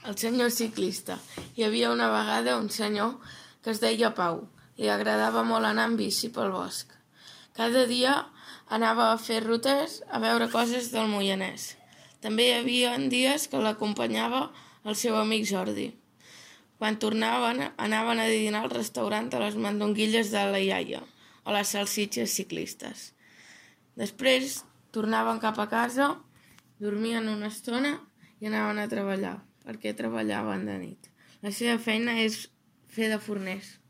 El senyor ciclista. Hi havia una vegada un senyor que es deia Pau. Li agradava molt anar amb bici pel bosc. Cada dia anava a fer rutes a veure coses del Moianès. També hi havia dies que l'acompanyava el seu amic Jordi. Quan tornaven, anaven a dinar al restaurant a les mandonguilles de la iaia o les salsitxes ciclistes. Després tornaven cap a casa, dormien una estona i anaven a treballar, perquè treballaven de nit. La seva feina és fer de forners.